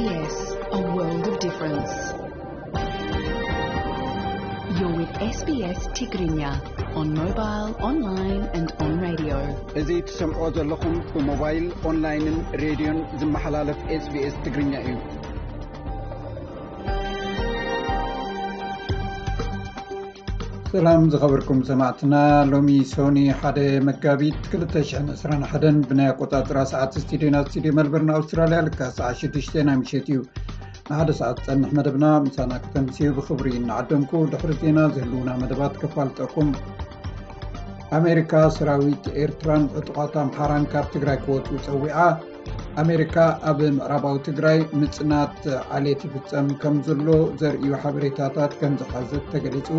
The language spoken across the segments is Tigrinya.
Yes, a world of difference. You're with S B S Tigrinya on mobile, online and on radio. እዚ ትሰምዖ ዘለኹም ብሞባይል፣ ኦንላይንን ሬድዮን ዝመሓላለፍ SBS ትግርኛ እዩ። ሰላም ዝኸበርኩም ሰማዕትና፣ ሎሚ ሶኒ ሓደ መጋቢት ክልተ ሽሕን ዕስራን ሓደን ብናይ ኣቆጻጽራ ሰዓት ስቱዲዮና ስቱዲዮ መልበርን ኣውስትራልያ ልካ ሰዓት ሽዱሽተ ናይ ምሸት እዩ። ንሓደ ሰዓት ዝጸንሕ መደብና ምሳና ከተምስዩ ብኽብሪ እናዓደምኩ፣ ድሕሪ ዜና ዝህልውና መደባት ከፋልጠኩም። ኣሜሪካ ሰራዊት ኤርትራን ዕጡቓት ኣምሓራን ካብ ትግራይ ክወፁ ፀዊዓ። ኣሜሪካ ኣብ ምዕራባዊ ትግራይ ምፅናት ዓሌት ይፍፀም ከም ዘሎ ዘርእዩ ሓበሬታታት ከም ዝሓዘት ተገሊፁ።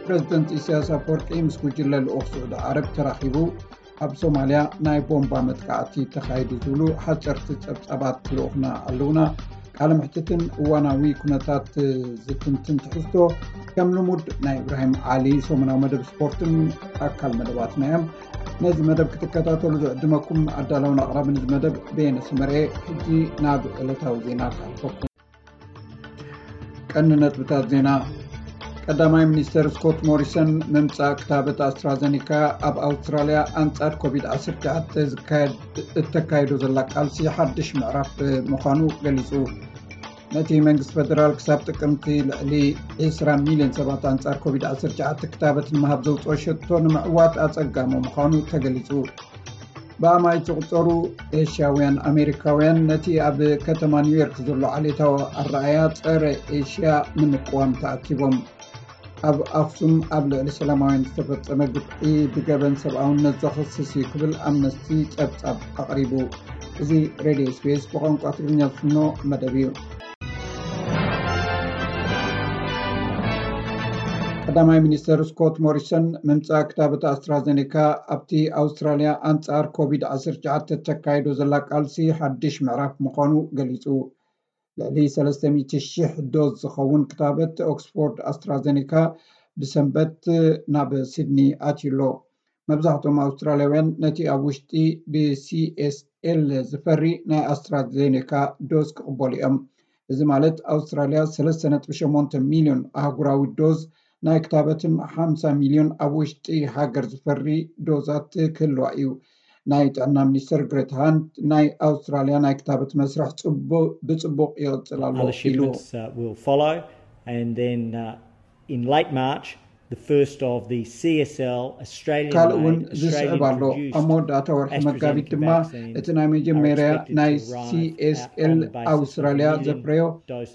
ፕረዚደንት ኢሳያስ ኣፈወርቂ ምስ ጉጅለ ልኡኽ ስዑዲ ዓረብ ተራኺቡ። ኣብ ሶማልያ ናይ ቦምባ መጥቃዕቲ ተኻይዱ ዝብሉ ሓፀርቲ ፀብፃባት ልኡኽና ኣለውና። ቃለ ምሕትትን እዋናዊ ኩነታት ዝትንትን ትሕዝቶ ከም ልሙድ ናይ እብራሂም ዓሊ ሰሙናዊ መደብ ስፖርትን ኣካል መደባትና እዮም። ነዚ መደብ ክትከታተሉ ዝዕድመኩም ኣዳላውን ኣቕራብን እዚ መደብ በየነ ሰመርኤ። ሕጂ ናብ ዕለታዊ ዜና ክሓልፈኩም። ቀንዲ ነጥብታት ዜና። ቀዳማይ ሚኒስተር ስኮት ሞሪሰን ምምጻእ ክታበት ኣስትራዘኒካ ኣብ ኣውስትራልያ ኣንጻር ኮቪድ ዓሰርተ ትሽዓተ ዝካየድ እተካይዶ ዘላ ቃልሲ ሓድሽ ምዕራፍ ምዃኑ ገሊጹ። ነቲ መንግስቲ ፈደራል ክሳብ ጥቅምቲ ልዕሊ ዕስራ ሚልዮን ሰባት ኣንጻር ኮቪድ ዓሰርተ ትሽዓተ ክታበት ንምሃብ ዘውጽኦ ሸቶ ንምዕዋት ኣጸጋሚ ምዃኑ ተገሊጹ። ብኣማኢት ዝቑጸሩ ኤሽያውያን ኣሜሪካውያን ነቲ ኣብ ከተማ ኒውዮርክ ዘሎ ዓሌታዊ ኣረኣእያ ጸረ ኤሽያ ንምቅዋም ተኣኪቦም። ኣብ ኣኽሱም ኣብ ልዕሊ ሰላማውያን ዝተፈጸመ ግፍዒ ብገበን ሰብኣውነት ዘኽስስ እዩ ክብል ኣምነስቲ ጸብጻብ ኣቕሪቡ። እዚ ሬድዮ SBS ብቋንቋ ትግርኛ ዝፍኖ መደብ እዩ። ቀዳማይ ሚኒስተር ስኮት ሞሪሰን ምምጻእ ክታበት ኣስትራዘኔካ ኣብቲ ኣውስትራልያ ኣንጻር ኮቪድ ዓሰርተ ትሽዓተ እተካይዶ ዘላ ቃልሲ ሓድሽ ምዕራፍ ምዃኑ ገሊጹ። ልዕሊ ሰለስተ ሚእቲ ሽሕ ዶዝ ዝኸውን ክታበት ኦክስፎርድ ኣስትራዘኔካ ብሰንበት ናብ ሲድኒ ኣትዩ ኣሎ። መብዛሕትኦም ኣውስትራልያውያን ነቲ ኣብ ውሽጢ ብሲኤስኤል ዝፈሪ ናይ ኣስትራዜኔካ ዶዝ ክቕበሉ እዮም። እዚ ማለት ኣውስትራልያ ሰለስተ ነጥቢ ሸሞንተ ሚልዮን ኣህጉራዊ ዶዝ ናይ ክታበትን ሓምሳ ሚልዮን ኣብ ውሽጢ ሃገር ዝፈሪ ዶዛት ክህልዋ እዩ። ናይ ጥዕና ሚኒስትር ግሬት ሃንት ናይ ኣውስትራልያ ናይ ክታበት መስርሕ ብጽቡቕ ይቕጽል ኣሎ ኢሉ። In late March, the first of the C S L Australian ካልእ እውን ዝስዕብ ኣሎ። ኣብ መወዳእታ ወርሒ መጋቢት ድማ እቲ ናይ መጀመርያ ናይ C S L ኣውስትራልያ ዘፍረዮ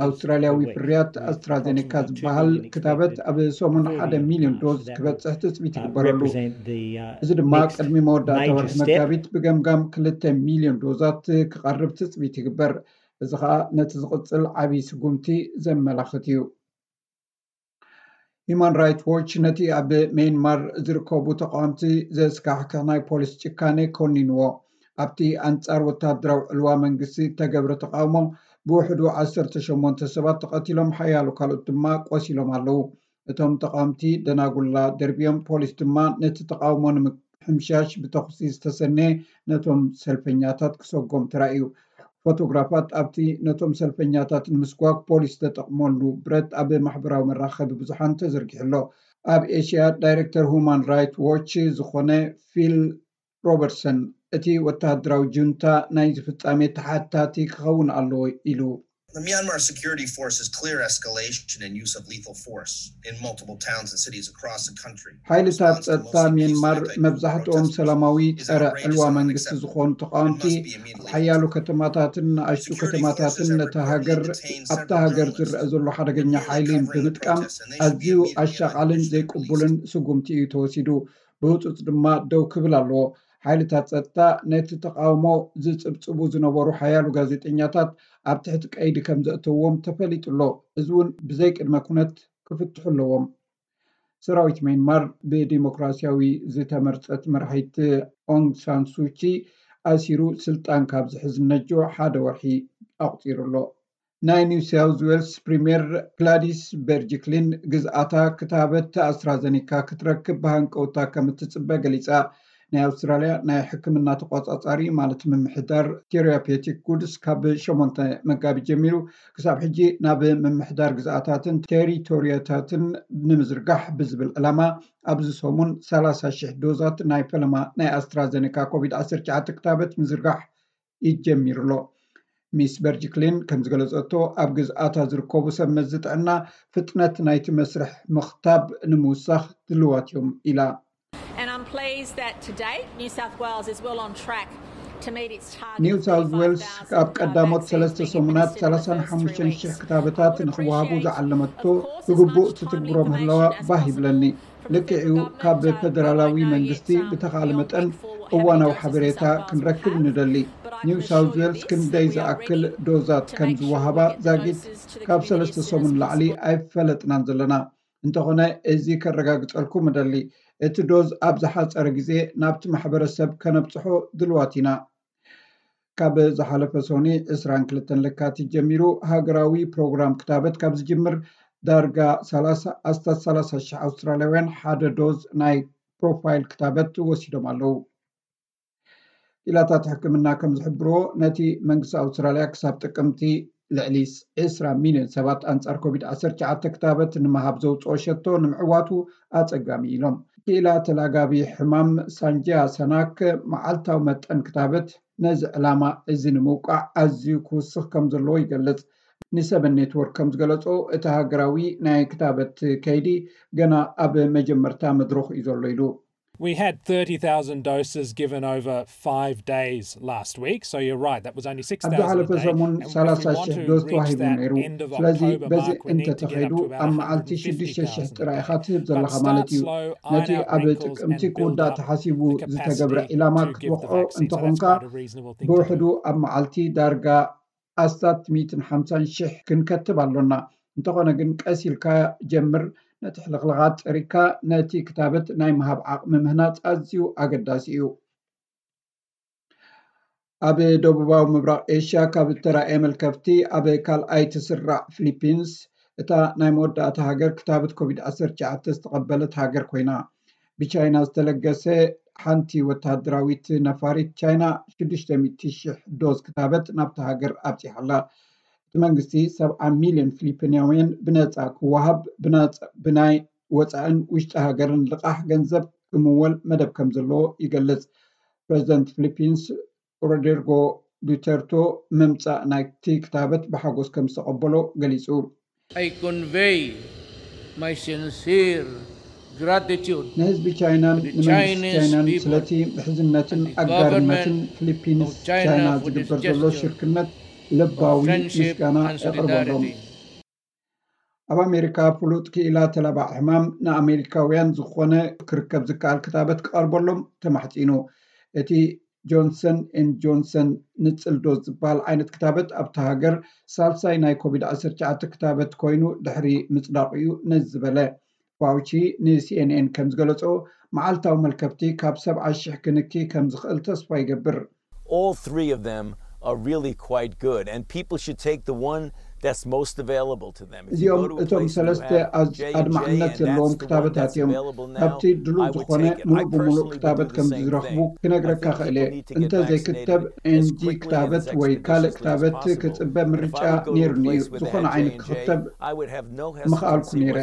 ኣውስትራልያዊ ፍርያት ኣስትራዜኔካ ዝበሃል ክታበት ኣብ ሰሙን ሓደ ሚልዮን ዶዝ ክበፅሕ ትፅቢት ይግበረሉ። እዚ ድማ ቅድሚ መወዳእታ ወርሒ መጋቢት ብገምጋም ክልተ ሚልዮን ዶዛት ክቐርብ ትፅቢት ይግበር። እዚ ከዓ ነቲ ዝቕፅል ዓብዪ ስጉምቲ ዘመላኽት እዩ። ሂማን ራይት ዎች ነቲ ኣብ ሜንማር ዝርከቡ ተቃወምቲ ዘስካሕክሕ ናይ ፖሊስ ጭካኔ ኮኒንዎ። ኣብቲ ኣንጻር ወታደራዊ ዕልዋ መንግስቲ እተገብረ ተቃውሞ ብውሕዱ ዓሰርተ ሸሞንተ ሰባት ተቐቲሎም ሓያሎ ካልኦት ድማ ቆሲሎም ኣለዉ። እቶም ተቃወምቲ ደናጉላ ደርብዮም፣ ፖሊስ ድማ ነቲ ተቃውሞ ንምሕምሻሽ ብተኹሲ ዝተሰነየ ነቶም ሰልፈኛታት ክሰጎም ተራእዩ። ፎቶግራፋት ኣብቲ ነቶም ሰልፈኛታት ንምስጓግ ፖሊስ ዝተጠቕመሉ ብረት ኣብ ማሕበራዊ መራኸቢ ብዙሓን ተዘርጊሑ ኣሎ። ኣብ ኤሽያ ዳይሬክተር ሁማን ራይት ዎች ዝኾነ ፊል ሮበርትሰን እቲ ወተሃደራዊ ጁንታ ናይዚ ፍጻሜ ተሓታቲ ክኸውን ኣለዎ ኢሉ። The Myanmar Security Forces clear escalation and use of lethal force in multiple towns and cities across the country. ሓይልታት ጸጥታ ሚያንማር መብዛሕትኦም ሰላማዊ ጸረ ዕልዋ መንግስቲ ዝኾኑ ተቃወምቲ ኣብ ሓያሎ ከተማታትን ንኣሽቱ ከተማታትን ነታ ሃገር ኣብታ ሃገር ዝረአ ዘሎ ሓደገኛ ሓይሊ ብምጥቃም ኣዝዩ ኣሻቓልን ዘይቅቡልን ስጉምቲ እዩ ተወሲዱ። ብህጹጽ ድማ ደው ክብል ኣለዎ። ሓይልታት ጸጥታ ነቲ ተቃውሞ ዝጽብጽቡ ዝነበሩ ሓያሎ ጋዜጠኛታት ኣብ ትሕቲ ቀይዲ ከም ዘእተውዎም ተፈሊጡ ኣሎ። እዚ እውን ብዘይ ቅድመ ኩነት ክፍትሑ ኣለዎም። ሰራዊት ሜንማር ብዲሞክራሲያዊ ዝተመርጸት መራሒት ኦንግ ሳን ሱቺ ኣሲሩ ስልጣን ካብ ዝሕዝ ነጆ ሓደ ወርሒ ኣቑጺሩ ኣሎ። ናይ ኒው ሳውዝ ዌልስ ፕሪምየር ግላዲስ በርጅክሊን ግዝኣታ ክታበት ኣስትራዘኒካ ክትረክብ ብሃንቀውታ ከም እትጽበ ገሊጻ። ናይ ኣውስትራልያ ናይ ሕክምና ተቆጻጻሪ ማለት ምምሕዳር ቴራፔቲክ ጉድስ ካብ ሸሞንተ መጋቢት ጀሚሩ ክሳብ ሕጂ ናብ ምምሕዳር ግዝኣታትን ቴሪቶሪያታትን ንምዝርጋሕ ብዝብል ዕላማ ኣብዚ ሰሙን ሰላሳ ሽሕ ዶዛት ናይ ፈለማ ናይ ኣስትራዘኔካ ኮቪድ ዓሰርተ ትሽዓተ ክታበት ምዝርጋሕ ይጀሚሩ ኣሎ። ሚስ በርጅክሊን ከም ዝገለጸቶ ኣብ ግዝኣታ ዝርከቡ ሰብ መዚ ጥዕና ፍጥነት ናይቲ መስርሕ ምኽታብ ንምውሳኽ ድልዋት እዮም ኢላ። And I'm pleased that to date New South Wales is well on track to meet its target. ኒው ሳውዝ ዌልስ ኣብ ቀዳሞት ሰለስተ ሰሙናት ሰላሳን ሓሙሽተን ሽሕ ክታበታት ንክወሃቡ ዝዓለመቶ ብግቡእ ትትግብሮ ምህላዋ ባህ ይብለኒ። ልክዕዩ ካብ ፌደራላዊ መንግስቲ ብተኻለ መጠን እዋናዊ ሓበሬታ ክንረክብ ንደሊ። ኒው ሳውዝ ዌልስ ክንደይ ዝኣክል ዶዛት ከም ዝወሃባ ዛጊት ካብ ሰለስተ ሰሙን ላዕሊ ኣይፈለጥናን ዘለና። እንተኾነ እዚ ከረጋግጸልኩም እደሊ፣ እቲ ዶዝ ኣብ ዝሓጸረ ግዜ ናብቲ ማሕበረሰብ ከነብጽሖ ድልዋት ኢና። ካብ ዝሓለፈ ሶኒ ዕስራን ክልተን ለካቲት ጀሚሩ ሃገራዊ ፕሮግራም ክታበት ካብ ዝጅምር ዳርጋ ኣስታት ሰላሳ ሽሕ ኣውስትራልያውያን ሓደ ዶዝ ናይ ፕሮፋይል ክታበት ወሲዶም ኣለዉ። ኢላታት ሕክምና ከም ዝሕብርዎ ነቲ መንግስቲ ኣውስትራልያ ክሳብ ጥቅምቲ ልዕሊ ዕስራ ሚልዮን ሰባት ኣንጻር ኮቪድ ዓሰርተ ትሽዓተ ክታበት ንምሃብ ዘውፅኦ ሸቶ ንምዕዋቱ ኣጸጋሚ ኢሎም። ክኢላ ተላጋቢ ሕማም ሳንጂያ ሰናክ መዓልታዊ መጠን ክታበት ነዚ ዕላማ እዚ ንምውቃዕ ኣዝዩ ክውስኽ ከም ዘለዎ ይገልጽ። ንሰበን ኔትወርክ ከም ዝገለጾ እቲ ሃገራዊ ናይ ክታበት ከይዲ ገና ኣብ መጀመርታ መድረኹ እዩ ዘሎ ኢሉ። We had thirty thousand doses given over five days last week. So you're right, that was only ኣብ ዝሓለፈ ሰሙን ሰላሳ ሽሕ ዶዝ ተዋሂቡ ነይሩ። ስለዚ በዚ እንተተኸይዱ ኣብ መዓልቲ ሽዱሽተ ሽሕ ጥራይ ኢኻ ትህብ ዘለኻ ማለት እዩ። ነቲ ኣብ ጥቅምቲ ክውዳእ ተሓሲቡ ዝተገብረ ዒላማ ክትወቕዖ እንተኾንካ ብውሕዱ ኣብ መዓልቲ ዳርጋ ኣስታት ሚእትን ሓምሳን ሽሕ ክንከትብ ኣሎና። እንተኾነ ግን ቀስ ኢልካ ጀምር። ነቲ ሕልኽልኻት ጸሪግካ ነቲ ክታበት ናይ ምሃብ ዓቕሚ ምህናጽ ኣዝዩ ኣገዳሲ እዩ። ኣብ ደቡባዊ ምብራቕ ኤሽያ ካብ እተራእየ መልከፍቲ ኣብ ካልኣይ ትስራዕ ፊሊፒንስ እታ ናይ መወዳእታ ሃገር ክታበት ኮቪድ ዓሰርተ ትሽዓተ ዝተቐበለት ሃገር ኮይና። ብቻይና ዝተለገሰ ሓንቲ ወተሃደራዊት ነፋሪት ቻይና ሽዱሽተ ሚእቲ ሽሕ ዶዝ ክታበት ናብታ ሃገር ኣብፂሓ ኣላ። እቲ መንግስቲ ሰብዓ ሚልዮን ፊሊፒንያውያን ብነፃ ክወሃብ ብናይ ወፃእን ውሽጢ ሃገርን ልቓሕ ገንዘብ ክምወል መደብ ከም ዘለዎ ይገልፅ። ፕረዚደንት ፊሊፒንስ ሮድሪጎ ዱተርቶ ምምፃእ ናይቲ ክታበት ብሓጎስ ከም ዝተቐበሎ ገሊፁ። I convey my sincere gratitude ንህዝቢ ቻይናን ንመንግስቲ ቻይናን ስለቲ ምሕዝነትን ኣጋርነትን ፊሊፒንስ ቻይና ዝግበር ዘሎ ሽርክነት ልባዊ ምስጋና የቕርበሎም። ኣብ ኣሜሪካ ፍሉጥ ክኢላ ተላባዕ ሕማም ንኣሜሪካውያን ዝኾነ ክርከብ ዝከኣል ክታበት ክቐርበሎም ተማሕፂኑ። እቲ ጆንሰን ኤን ጆንሰን ንፅል ዶዝ ዝበሃል ዓይነት ክታበት ኣብታ ሃገር ሳልሳይ ናይ ኮቪድ ዓሰርተ ትሽዓተ ክታበት ኮይኑ ድሕሪ ምፅዳቑ እዩ ነዚ ዝበለ። ፋውቺ ንሲኤንኤን ከም ዝገለጾ መዓልታዊ መልከፍቲ ካብ ሰብዓ ሽሕ ክንኪ ከም ዝኽእል ተስፋ ይገብር። All three of them are really quite good, and people should take the one that's most available to them. እዚኦም እቶም ሰለስተ ኣድማዕነት ዘለዎም ክታበታት እዮም። ካብቲ ድሉው ዝኾነ ሙሉእ ብምሉእ ክታበት ከም ዝረኽቡ ክነግረካ ክእል እየ። እንተ ዘይክተብ ኤንጂ ክታበት ወይ ካልእ ክታበት ክጽበ ምርጫ ነይሩኒ እዩ። ዝኾነ ዓይነት ክኽተብ ምኽኣልኩ ነይረ።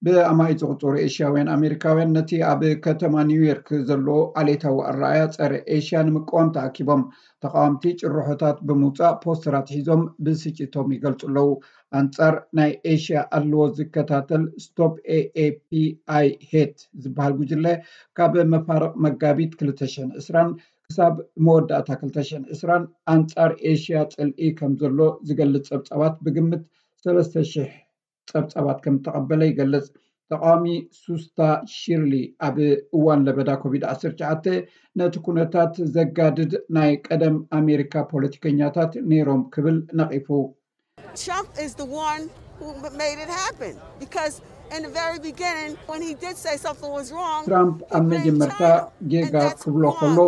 ብኣማኢት ዝቑጸሩ ኤሽያውያን ኣሜሪካውያን ነቲ ኣብ ከተማ ኒውዮርክ ዘሎ ዓሌታዊ ኣረኣእያ ጸረ ኤሽያ ንምቅዋም ተኣኪቦም። ተቓወምቲ ጭርሖታት ብምውጻእ ፖስተራት ሒዞም ብስጭቶም ይገልጹ ኣለዉ። ኣንጻር ናይ ኤሽያ ኣለዎ ዝከታተል ስቶፕ ኤኤፒኣይ ሄት ዝበሃል ጉጅለ ካብ መፋርቕ መጋቢት ክልተ ሽሕን ዕስራን ክሳብ መወዳእታ ክልተ ሽሕን ዕስራን ኣንጻር ኤሽያ ጽልኢ ከም ዘሎ ዝገልጽ ጸብጻባት ብግምት ሰለስተ ሽሕ ጸብጻባት ከም እተቐበለ ይገልጽ። ተቓዋሚ ሱስታ ሺርሊ ኣብ እዋን ለበዳ ኮቪድ ዓሰርተ ትሽዓተ ነቲ ኩነታት ዘጋድድ ናይ ቀደም ኣሜሪካ ፖለቲከኛታት ነይሮም ክብል ነቒፉ። Trump is the one who made it happen because in the very beginning when he did say something was wrong, ትራምፕ ኣብ መጀመርታ ጌጋ ክብሎ ከሎ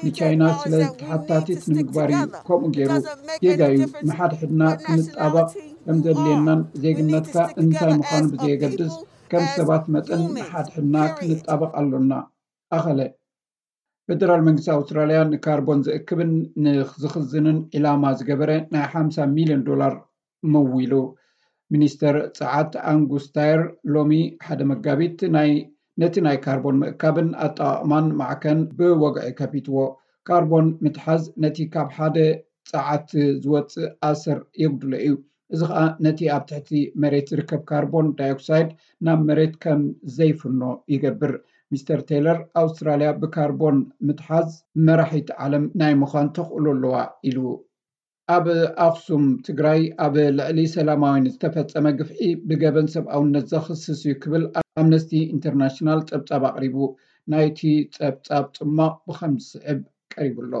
ንቻይና ስለ ተሓታቲት ንምግባር እዩ ከምኡ ገይሩ። ጌጋ እዩ። ንሓድሕድና ክንጣበቕ ከም ዘድልየናን ዜግነትካ እንታይ ምዃኑ ብዘየገድስ ከም ሰባት መጠን ንሓድሕድና ክንጣበቕ ኣሎና። ኣኸለ። ፌደራል መንግስቲ ኣውስትራልያ ንካርቦን ዝእክብን ንዝኽዝንን ዒላማ ዝገበረ ናይ ሓምሳ ሚልዮን ዶላር መዊሉ። ሚኒስተር ጸዓት ኣንጉስ ታየር ሎሚ ሓደ መጋቢት ናይ ነቲ ናይ ካርቦን ምእካብን ኣጠቓቕማን ማዕከን ብወግዒ ከፊትዎ። ካርቦን ምትሓዝ ነቲ ካብ ሓደ ጸዓት ዝወጽእ ኣሰር የጉድሎ እዩ። እዚ ኸኣ ነቲ ኣብ ትሕቲ መሬት ዝርከብ ካርቦን ዳይኦክሳይድ ናብ መሬት ከም ዘይፍኖ ይገብር። ሚስተር ቴይለር ኣውስትራልያ ብካርቦን ምትሓዝ መራሒት ዓለም ናይ ምዃን ተኽእሎ ኣለዋ ኢሉ። ኣብ ኣኽሱም ትግራይ ኣብ ልዕሊ ሰላማውያን ዝተፈጸመ ግፍዒ ብገበን ሰብኣውነት ዘኽስስ እዩ ክብል ኣምነስቲ ኢንተርናሽናል ጸብጻብ ኣቕሪቡ። ናይቲ ጸብጻብ ጽማቕ ብኸም ዝስዕብ ቀሪቡ ኣሎ።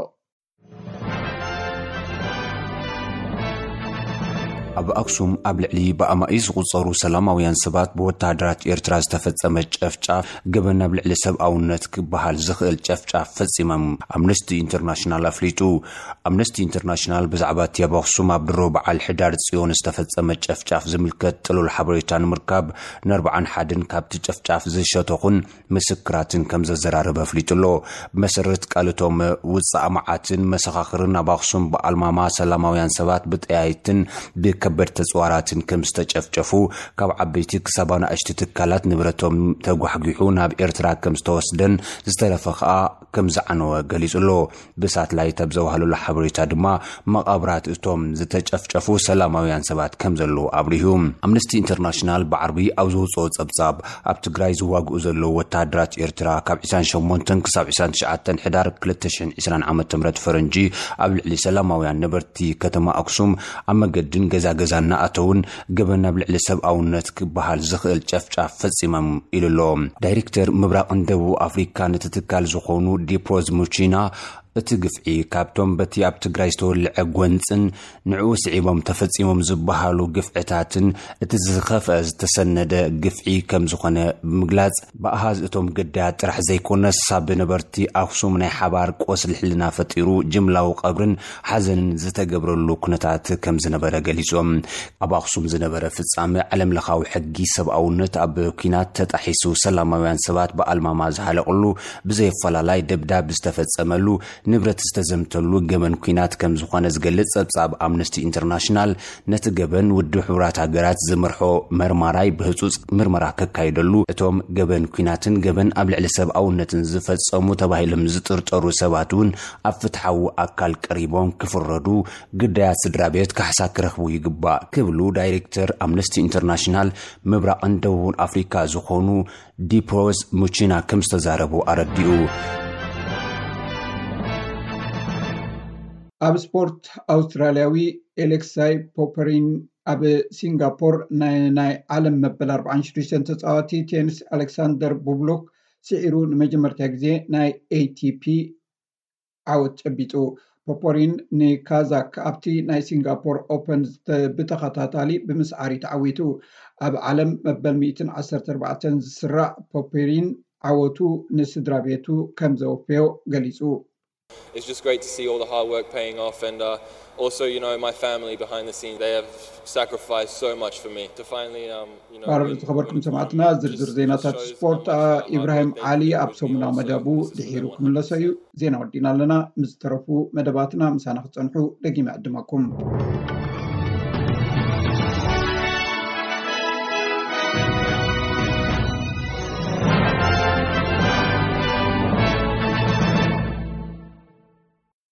ኣብ ኣክሱም ኣብ ልዕሊ ብኣማኢት ዝቑጸሩ ሰላማውያን ሰባት ብወተሃደራት ኤርትራ ዝተፈጸመ ጨፍጫፍ ገበን ኣብ ልዕሊ ሰብኣውነት ክበሃል ዝኽእል ጨፍጫፍ ፈጺሞም ኣምነስቲ ኢንተርናሽናል ኣፍሊጡ። ኣምነስቲ ኢንተርናሽናል ብዛዕባ እቲ ኣብ ኣክሱም ኣብ ድሮ በዓል ሕዳር ጽዮን ዝተፈጸመ ጨፍጫፍ ዝምልከት ጥሉል ሓበሬታ ንምርካብ ንኣርብዓን ሓደን ካብቲ ጨፍጫፍ ዝሸተኹን ምስክራትን ከም ዘዘራረበ ኣፍሊጡ ኣሎ። ብመሰረት ቃልቶም ውጻእ መዓትን መሰኻኽርን ኣብ ኣኽሱም ብኣልማማ ሰላማውያን ሰባት ብጠያይትን ብከበድ ተጽዋራትን ከም ዝተጨፍጨፉ፣ ካብ ዓበይቲ ክሳብ ኣናእሽቲ ትካላት ንብረቶም ተጓሕጒሑ ናብ ኤርትራ ከም ዝተወስደን ዝተረፈ ከኣ ከም ዝዓነወ ገሊጹ ኣሎ። ብሳትላይት ኣብ ዘዋህለሉ ሓበሬታ ድማ መቓብራት እቶም ዝተጨፍጨፉ ሰላማውያን ሰባት ከም ዘለዉ ኣብሪሁ። ኣምነስቲ ኢንተርናሽናል ብዓርቢ ኣብ ዝወፅኦ ጸብጻብ ኣብ ትግራይ ዝዋግኡ ዘለዉ ወተሃደራት ኤርትራ ካብ ዕስራን ሸሞንተን ክሳብ ዕስራን ትሽዓተን ሕዳር ክልተ ሽሕን ዕስራን ዓመተ ምህረት ፈረንጂ ኣብ ልዕሊ ሰላማውያን ነበርቲ ከተማ ኣክሱም ኣብ መገድን ገዛ ገዛ እናኣተውን ገበን ኣብ ልዕሊ ሰብኣውነት ክበሃል ዝኽእል ጨፍጫፍ ፈጺሞም ኢሉ ኣሎ። ዳይሬክተር ምብራቕን ደቡብ ኣፍሪካ ነቲ ትካል ዝኾኑ ዲፕሮዝ ሙቺና እቲ ግፍዒ ካብቶም በቲ ኣብ ትግራይ ዝተወልዐ ጎንፅን ንዕኡ ስዒቦም ተፈጺሞም ዝበሃሉ ግፍዕታትን እቲ ዝኸፍአ ዝተሰነደ ግፍዒ ከም ዝኾነ ብምግላጽ ብኣሃዝ እቶም ግዳያት ጥራሕ ዘይኮነስ ሳብ ነበርቲ ኣኽሱም ናይ ሓባር ቆስሊ ሕልና ፈጢሩ ጅምላዊ ቀብርን ሓዘንን ዝተገብረሉ ኩነታት ከም ዝነበረ ገሊጾም። ኣብ ኣኽሱም ዝነበረ ፍጻመ ዓለም ለኻዊ ሕጊ ሰብኣውነት ኣብ ኲናት ተጣሒሱ ሰላማውያን ሰባት ብኣልማማ ዝሃለቕሉ ብዘየፈላላይ ደብዳብ ዝተፈጸመሉ ንብረት ዝተዘምተሉ ገበን ኲናት ከም ዝኾነ ዝገልጽ ጸብጻብ ኣምነስቲ ኢንተርናሽናል ነቲ ገበን ውድብ ሕቡራት ሃገራት ዝመርሖ መርማራይ ብህጹጽ ምርመራ ከካይደሉ እቶም ገበን ኲናትን ገበን ኣብ ልዕሊ ሰብኣውነትን ዝፈጸሙ ተባሂሎም ዝጥርጠሩ ሰባት እውን ኣብ ፍትሓዊ ኣካል ቀሪቦም ክፍረዱ ግዳያት ስድራ ቤት ካሕሳ ክረኽቡ ይግባእ ክብሉ ዳይሬክተር ኣምነስቲ ኢንተርናሽናል ምብራቕን ደቡብን ኣፍሪካ ዝኾኑ ዲፕሮዝ ሙቺና ከም ዝተዛረቡ ኣረዲኡ። ኣብ ስፖርት ኣውስትራልያዊ ኤሌክሳይ ፖፐሪን ኣብ ሲንጋፖር ናይ ናይ ዓለም መበል ኣርብዓን ሽዱሽተን ተጻዋቲ ቴኒስ ኣሌክሳንደር ቡብሉክ ስዒሩ ንመጀመርታ ግዜ ናይ ኤቲፒ ዓወት ጨቢጡ። ፖፖሪን ንካዛክ ኣብቲ ናይ ሲንጋፖር ኦፐን ብተኸታታሊ ብምስዓር እዩ ተዓዊቱ። ኣብ ዓለም መበል ሚእትን ዓሰርተ ኣርባዕተን ዝስራዕ ፖፖሪን ዓወቱ ንስድራ ቤቱ ከም ዘወፈዮ ገሊጹ። It's just great to see all the hard work paying off, and uh, also, you know, my family behind the scenes, they have sacrificed so much for me to finally, um, you know, ባረር ዝተኸበርኩም ሰማዕትና፣ ዝርዝር ዜናታት ስፖርት ኢብራሂም ዓሊ ኣብ ሰሙናዊ መደቡ ድሒሩ ክምለሶ እዩ። ዜና ወዲና ኣለና። ምስ ዝተረፉ መደባትና ምሳና ክጸንሑ ደጊመ ዕድመኩም።